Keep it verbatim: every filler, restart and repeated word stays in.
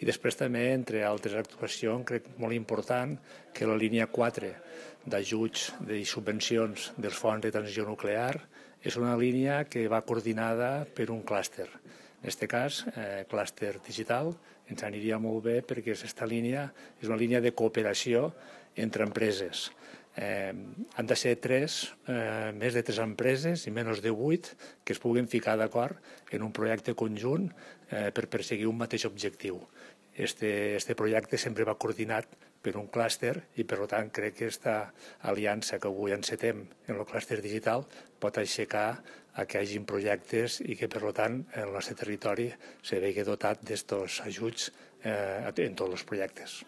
I després també, entre altres actuacions, crec molt important que la línia quatre d'ajuts i subvencions dels fons de transició nuclear és una línia que va coordinada per un clúster. En aquest cas, eh, clúster digital, ens aniria molt bé perquè aquesta línia és una línia de cooperació entre empreses. Eh, han de ser tres, eh, més de tres empreses i menys de vuit que es puguin ficar d'acord en un projecte conjunt eh, per perseguir un mateix objectiu. Este, este projecte sempre va coordinat per un clúster i, per tant, crec que aquesta aliança que avui encetem en el clúster digital pot aixecar a que hi hagi projectes i que, per tant, el nostre territori se vegi dotat d'estos ajuts eh, en tots els projectes.